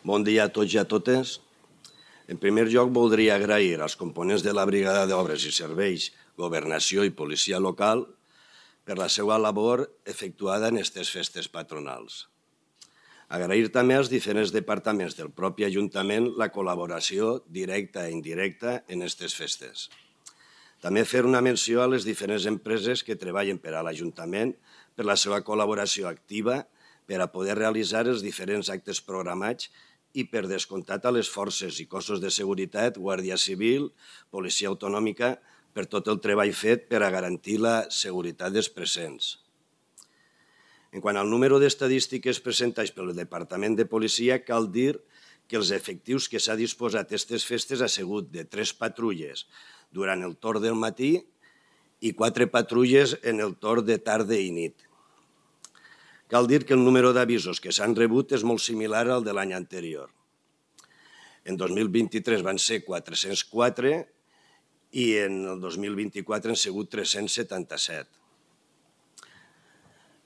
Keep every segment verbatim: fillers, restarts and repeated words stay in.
Bon dia a tots i a totes. En primer lloc, voldria agrair als components de la Brigada d'Obres i Serveis, Governació i Policia Local per la seva labor efectuada en aquestes festes patronals. Agrair també als diferents departaments del propi Ajuntament la col·laboració directa i indirecta en aquestes festes. També fer una menció a les diferents empreses que treballen per a l'Ajuntament per la seva col·laboració activa per a poder realitzar els diferents actes programats i per descomptat a les forces i cossos de seguretat, Guàrdia Civil, Policia Autonòmica, per tot el treball fet per a garantir la seguretat dels presents. En quant al número d'estadístiques presentades pel Departament de Policia, cal dir que els efectius que s'ha disposat aquestes festes ha sigut de tres patrulles durant el torn del matí i quatre patrulles en el torn de tarda i nit. Cal dir que el número d'avisos que s'han rebut és molt similar al de l'any anterior. En dos mil vint-i-tres van ser quatre-cents quatre i en el dos mil vint-i-quatre han sigut tres-cents setanta-set.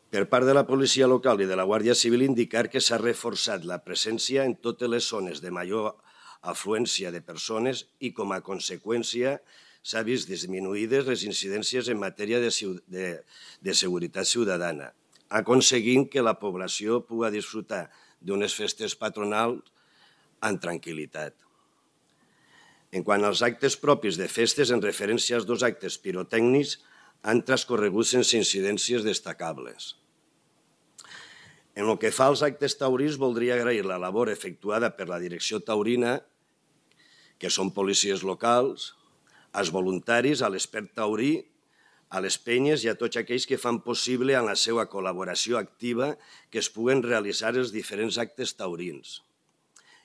Per part de la policia local i de la Guàrdia Civil indicar que s'ha reforçat la presència en totes les zones de major afluència de persones i com a conseqüència s'ha vist disminuïdes les incidències en matèria de, de, de seguretat ciutadana, aconseguint que la població pugui disfrutar d'unes festes patronals amb tranquil·litat. En quant als actes propis de festes, en referència als dos actes pirotècnics, han transcorregut sense incidències destacables. En el que fa als actes taurins, voldria agrair la labor efectuada per la direcció taurina, que són policies locals, als voluntaris, a l'expert taurí, a les penyes i a tots aquells que fan possible amb la seva col·laboració activa que es puguen realitzar els diferents actes taurins.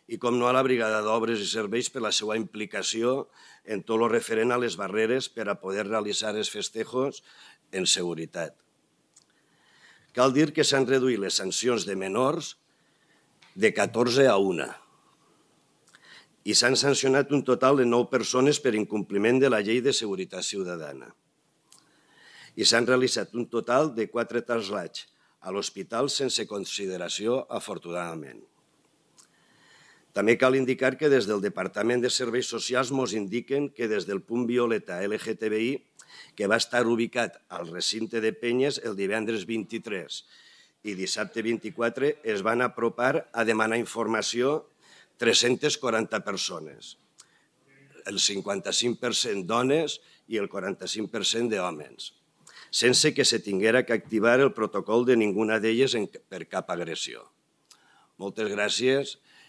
I, com no, a la Brigada d'Obres i Serveis per la seva implicació en tot el referent a les barreres per a poder realitzar els festejos en seguretat. Cal dir que s'han reduït les sancions de menors de catorze a una i s'han sancionat un total de nou persones per incompliment de la Llei de Seguretat Ciutadana. I s'han realitzat un total de quatre trasllats a l'hospital sense consideració, afortunadament. També cal indicar que des del Departament de Serveis Socials ens indiquen que des del punt violeta L G T B I, que va estar ubicat al recinte de Penyes el divendres vint-i-tres i dissabte vint-i-quatre, es van apropar a demanar informació tres-centes quaranta persones, el cinquanta-cinc per cent dones i el quaranta-cinc per cent d'homes, sense que se tinguera que activar el protocol de ninguna d'elles per cap agressió. Moltes gràcies